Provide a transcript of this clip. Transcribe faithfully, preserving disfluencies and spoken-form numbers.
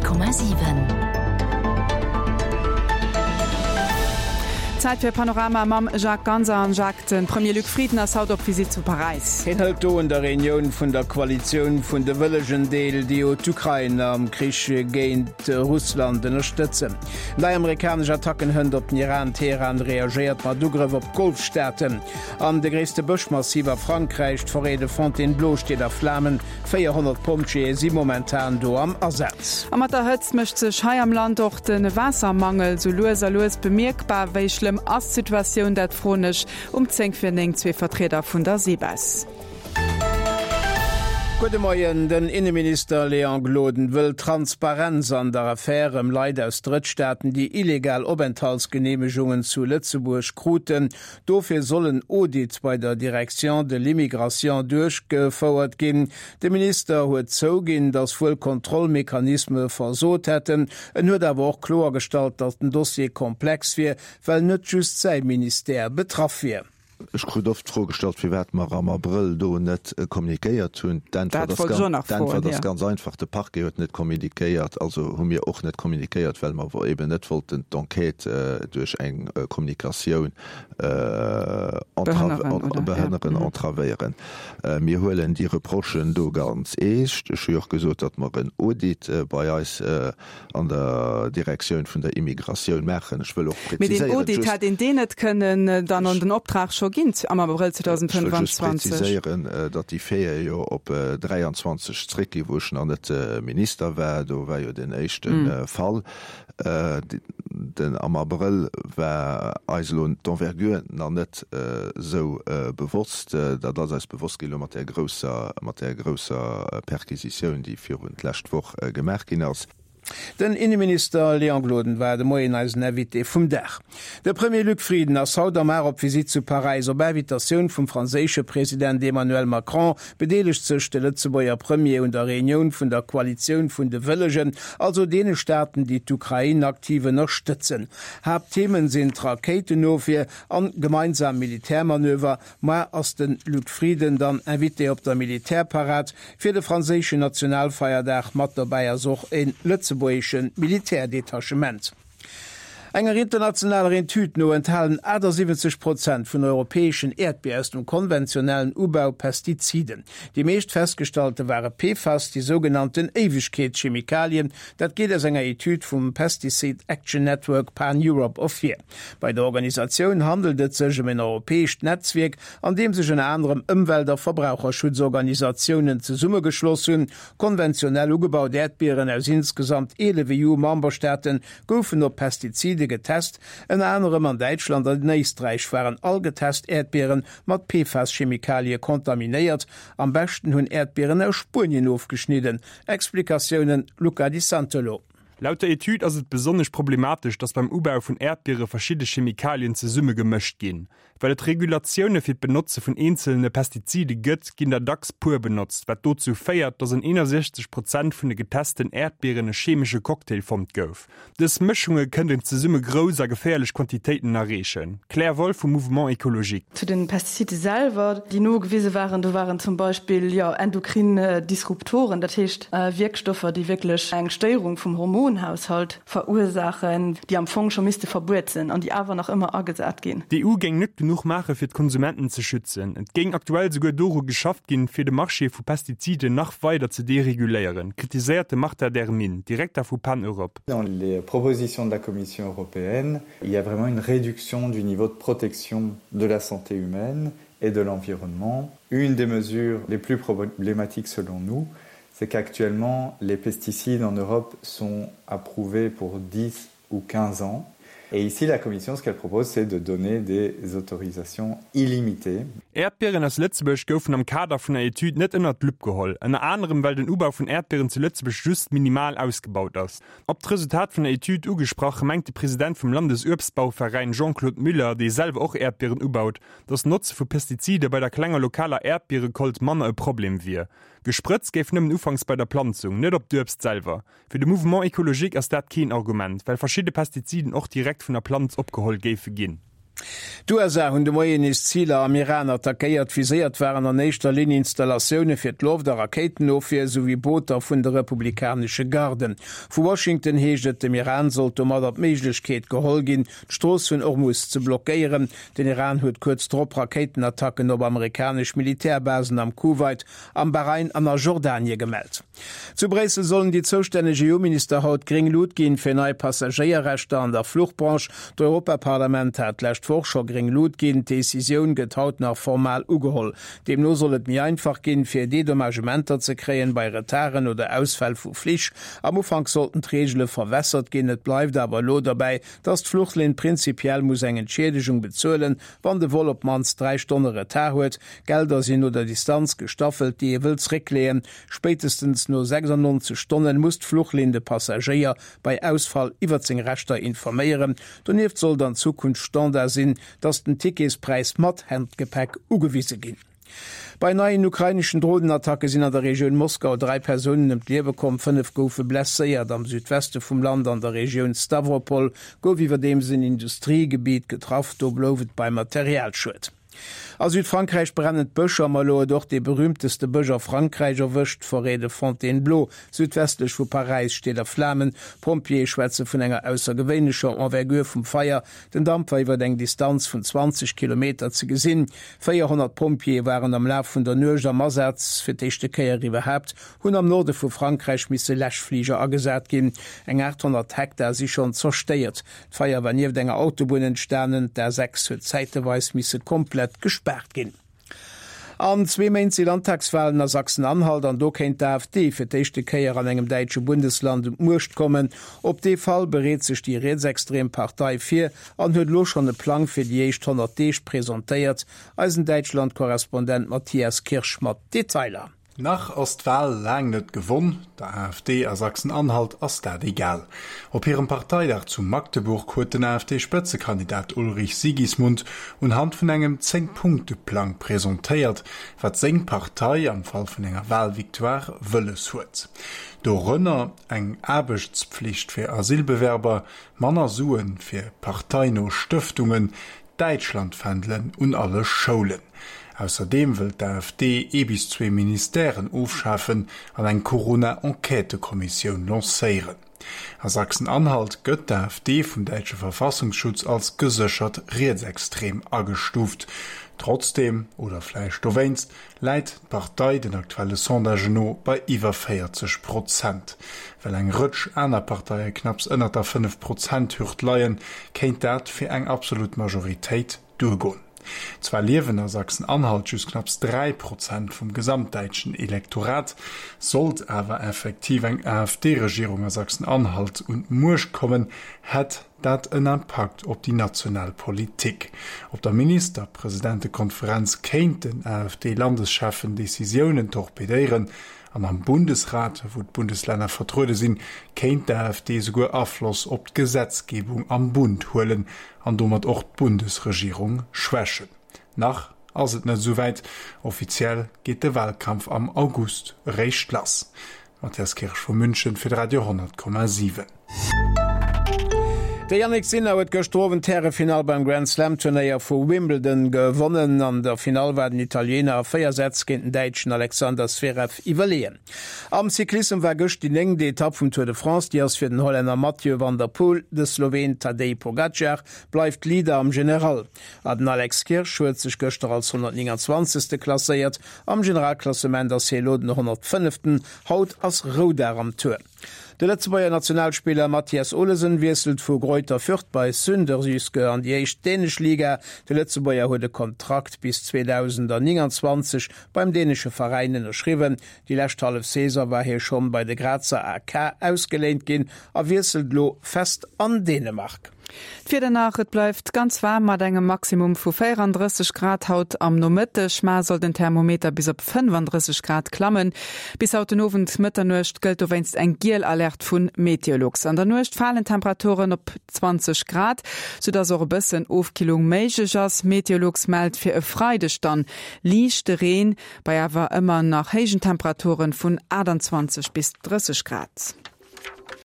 Komma siwen. Zäit fir Panorama mam Jacques Ganser. An Jacques, de Premier Luc Frieden ass haut op Visitt zu Paräis. Hien hëlt do un der Reunioun vun der Koalitioun vun de Wëllegen deel, déi jo d'Ukrain am Krich géint Russland ënnerstëtzen. Nei amerikanesch Attacken hënt op den Iran, Teheran reagéiert mat Ugrëff op d'Golfstaaten. An de gréisste Bëschmassiv a Frankräich, d'Forêt de Fontainebleau, steet a Flamen. véierhonnert Pompjeeë si momentan do am Asaz. A mat der Hëtzt mécht sech hei am Land och de Waassermangel sou lues a lues bemierkbar. Wéi schlëmm ass d'Situatioun? Dat froen ech um zéng vir néng zwee Vertrieder vun der SEBES. Gudde Moien, Den Inneminister Léon Gloden wëll Transparenz an der Affär ëm Leit aus Drëttstaaten, déi illegal Openthaltsgeneemegungen zu Lëtzebuerg kruten. Dofir soll en Audit bei der Direction de l'immigration duerchgefouert ginn. De Minister huet zouginn, datt wuel Kontrollmechanisme versot hätten. En huet awer och kloergestallt, datt den Dossier komplex wier, well net just säi Ministère betraff wier. Ech krut oft d'Fro gestallt, firwat mer am Abrëll do net kommunikéiert hunn. D'Äntwert ass ganz einfach, De Parquet huet net kommunikéiert, also hu mir och net kommunikéiert, well mer eben net wollten d'Enquête duerch eng Kommunikatioun behënneren, entravéieren. Mir huelen déi Reprochen do ganz eescht. Ech hu jo och gesot, datt mer en Audit bei eis an der Direktioun vun der Immigratioun maachen. Ech wëll och Mee deen präziséieren, Audit, just, hätt een deen net kënnen dann an den Optrag scho ginn am Abrëll Ech wëll just zweitausendfënnfanzwanzeg? präziséieren, datt déi Faite jo op dräianzwanzeg zréckginn, wou ech nach net Minister war. Do war jo deen éischte Fall. Den am Abrëll war eis elo d'Envergure nach net esou bewosst. Dat ass eis bewosst ginn elo mat där grousser, mat där grousser Perquisitioun, déi virun d'lescht Woch gemaach ginn ass. Den Inneminister Léon Gloden war de Moien eisen Invité vum Dag. De Premier Luc Frieden ass haut am Ar op Visitt zu Paräis. Op Invitatioun vum franséische President Emmanuel Macron bedeelegt sech de Lëtzebuerger Premier un der Reunioun vun der Koalitioun vun de Wëllegen, also deene Staaten, déi d'Ukrain aktiv ënnerstëtzen. Haaptthemen sinn d'Rakéitenofwier an gemeinsam Militärmanöver. Moar ass de Luc Frieden dann Invité op der Militärparad fir de franséischen Nationalfeierdag. Mat dobäi ass och e lëtzebuergesche Militärdetachement. Enger internationaler Etüd no enthalen achtasiwwenzeg Prozent vun europäeschen Äerdbier aus dem konventionellen Ubau Pestiziden. Déi meescht festgestallte ware P F A S, déi sougenannten Éiwegkeetschemikalien. Dat geet aus enger Etüd vum Pesticide Action Network Pan-Europe ervir. Bei der Organisatioun handelt et sech ëm en europäescht Netzwierk, an deem sech ënner anerem Ëmwelt a Verbraucherschutzorganisatiounen zesummegeschloss hunn. Konventionell ugebaut Äerdbieren aus insgesamt eelef E U-Memberstaate goufen op Pestizide getest. Ënner anerem an Däitschland an Éisträich waren all getest Äerdbiere mat P F A S-Chemikalie kontaminéiert. Am beschten hunn Äerdbieren aus Spuenien ofgeschnidden. Explikatiounen Luca Di Santolo. Laut der Etüd ass et besonnesch problematesch, datt beim Ubau vun Äerdbiere verschidde Chemikalien zesumme gemëscht ginn. Well et Regulatioune fir d'Benotze vun eenzelne Pestizide gëtt, ginn der dacks puer benotzt, wat dozou féiert, datt an eenasechzeg Prozent vun de getesten Äerdbieren e chemesche Cocktail fonnt gouf. Dës Mëschunge kënnten zesumme grouss a geféierlech Quantitéiten erreechen. Claire Wolff vum Mouvement Écologique. Zu den Pestizide selwer, déi nogewise waren, do waren zum Beispill, jo, endokrin Disruptoren, dat heescht Wierkstoffer, déi wierklech eng Stéierung vum Hormonhaushalt verursaachen, déi am Fong scho misste verbuet sinn an déi awer nach ëmmer agesat ginn. D'E U géing net genuch maache fir d'Konsumenten ze schützen. Et géing aktuell souguer doru geschafft ginn, fir de Marché vu Pestiziden nach weider ze dereguléieren, kritiséiert de Martin Dermine, Direkter vu PAN Europe. Dans les propositions de la Commission européenne, il y a vraiment une réduction du niveau de protection de la santé humaine et de l'environnement. Une des mesures les plus problématiques selon nous, c'est qu'actuellement les pesticides en Europe sont approuvés pour dix ou quinze ans. Et ici, la Commission, ce qu'elle propose, c'est de donner des autorisations illimitées. Äerdbieren aus Lëtzebuerg goufen am Kader vun der Etüd net ënnert d'Lupp geholl, ënner anerem well den Ubau vun Äerdbieren zu Lëtzebuerg just minimal ausgebaut ass. Op d'Resultat vun der Etüd ugesprach, mengt de President vum Landesuebstbauveräin Jean-Claude Müller, dee selwer och Äerdbieren ubaut, datt d'Notze vu Pestizide bei der klenger lokaler Äerdbiererecolte manner e Problem wier. Gesprëtzt géif nëmmen ufanks bei der Planzung, net op d'Uebst selwer. Fir de Mouvement Écologique ass dat keen Argument, well verschidde Pestiziden och direkt vun der Planz opgeholl géife ginn. D'USA hunn de Moien nees Ziler am Iran attackéiert. Viséiert waren an éischter Linn Installatioune fir d'Loft a Rakéitenofwier souwéi Booter vun de republikanesche Garden. Vu Washington heescht et, dem Iran sollt domadder d'Méiglechkeet geholl ginn, d'Strooss vun Hormus ze blockéieren. Den Iran huet kuerz drop Rakéitenattacken op amerikanesch Militärbasen am Kuwait, am Bahrain an a Jordanie gemellt. Zu Bréissel sollen déi zoustänneg EU-Minister haut gréng Lut ginn fir nei Passagéierrechter an der Fluchbranche. D'Europaparlament hat d'lescht Woch scho gréng Lut ginn. D'Decisioun gëtt haut nach formal ugeholl. Deemno soll et méi einfach ginn, fir Dedommagementer ze kréien bei Retarden oder Ausfäll vu Flich. Am Ufank sollten d'Reegele verwässert ginn. Et bleift awer elo derbäi, dass d'Fluchlinn prinzipiell muss eng Entschiedegung bezuelen, wann de Vol op d'mannst dräi Stonne Retard huet. D'Gelder sinn no der Distanz gestaffelt, déi ee wëll zréckleeën. Spéitestens no sechsundneunzeg Stonnen muss d'Fluchlinn de Passagéier bei Ausfall iwwert seng Rechter informéieren. Donieft sollt an Zukunft Standard sinn, dass den Ticketspräis mat Handgepäck ugewise ginn. Bei neien ukraineschen Dronenattacke sinn an der Regioun Moskau dräi Persounen ëm d'Liewe komm, fënnef goufe blesséiert. Am Südweste vum Land an der Regioun Stawropol gouf iwwerdeems en Industriegebiet getraff, do blouf et beim Materialschued. A Südfrankräich brennen d'Bëscher, ma elo huet och dee berüümteste Bësch a Frankräich erwëscht, d'Forêt de Fontainebleau südwestlech vu Paräis steet a Flamen. D'Pompjeeë schwätze vun enger aussergewéinlecher Envergure vum Feier. Den Damp war iwwer eng Distanz vun zwanzeg Kilometer ze gesinn. Véierhonnert Pompjeeë waren am Laf vun der Nuecht am Asaz. Fir d'éischte Kéier iwwerhaapt hunn am Norde vu Frankräich misse Läschfliger agesat ginn. Eng achthonnert Hektar si schonn zerstéiert. D'Feier war nieft enger Autobunn entstanen. D'A sechs huet zäiteweis misse komplett gespaart ginn. An zwee Méint si Landtagswalen a Sachsen-Anhalt an do kéint d'AfD fir d'éischte Kéier an engem däitsche Bundesland un d'Muecht kommen. Op dee Fall bereet sech déi rietsextrem Partei vir an huet elo schonn e Plang fir déi éischt honnert Deeg presentéiert. Eisen Däitschland-Korrespondent Matthias Kirsch mat Detailer. Nach ass d'Wal laang net gewonn, der AfD a Sachsen-Anhalt ass dat egal. Op hirem Parteidag zu Magdeburg huet den AfD-Spëtzekandidat Ulrich Sigismund unhand vun engem Zéng-Punkte-Plang presentéiert, wat seng Partei am Fall vun enger Walvictoire wëlles huet. Dorënner eng Aarbechtspflicht fir Asylbewerber, manner Suen fir parteino Stëftungen, Däitschlandfändelen un alle Schoulen. Ausserdeem wëll d'AfD ee bis zwee Ministèren ofschafen an eng Corona-Enquêtëkommissioun lancéieren. A Sachsen-Anhalt gëtt d'AfD vum däitsche Verfassungsschutz als geséchert rietsextrem agestuuft. Trotzdeem, oder vläicht dowéinst, läit d'Partei den aktuelle Sondagen no bei iwwer véierzeg Prozent. Well eng Rëtsch aner Parteie knapps ënnert der Fënnef-Prozent-Hürd leien, kéint dat fir eng absolut Majoritéit duergoen. Zwar liewen a Sachsen-Anhalt just knapps dräi Prozent vum gesamtdäitschen Elektorat, sollt awer effektiv eng AfD-Regierung a Sachsen-Anhalt un d'Muecht kommen, hätt dat en Impakt op déi national Politik. Op der Ministerpresidentekonferenz kéinten AfD-Landescheffen Decisiounen torpedéieren an am Bundesrat, wou d'Bundeslänner vertruede sinn, kéint d'AfD souguer Afloss op d'Gesetzgebung am Bund huelen an domat och d'Bundesregierung schwächen. Nach ass et net esouwäit, offiziell geet de Wahlkampf am August eréischt lass. Matthias Kirsch vu München fir de Radio honnert Komma siwen. De Jannik Sinner huet gëschter Owend d'Härefinall beim Grand Slam Turnéier vu Wimbledon gewonnen. An der Finall war den Italiener a véier Sätz géint den Däitschen Alexander Zverev iwwerleeën. Am Cyclissem war gëscht déi néngt Etapp vum Tour de France. Déi ass fir den Hollänner Mathieu van der Poel. De Sloween Tadej Pogacar bleift Leader am General. A den Alex Kirsch huet sech gëschter als honnertnénganzwanzegste klasséiert. Am Generalklassement ass hie elo den honnertfënneften. Haut ass Roudag am Tour. De Lëtzebuerger Nationalspiller Mathias Olesen wiesselt vu Greuther Fürth bei Sønderjyske an déi éischt dänesch Liga. De Lëtzebuerger huet e Kontrakt bis zweedausendnénganzwanzeg beim dänesche Veräin ënnerschriwwen. Déi lescht hallef Saison war hie schonn bei de Grazer A K ausgeléint ginn a wiesselt elo fest an Dänemark. D'Wieder nach, Et bleift ganz waarm mat engem Maximum vu véierandrësseg Grad haut am Nomëtteg. Mar soll den Thermometer bis op fënnfandrësseg Grad klammen. Bis haut den Owend Mëtternuecht gëllt dowéinst eng giel Alerte vu Meteolux. An der Nuecht falen d'Temperaturen op zwanzeg Grad, soudass och e bëssen Ofkillung méiglech ass. Meteolux mellt fir e Freideg dann liichte Reen, bei awer ëmmer nach héijen Temperaturen vun aachtanzwanzeg bis drësseg Grad.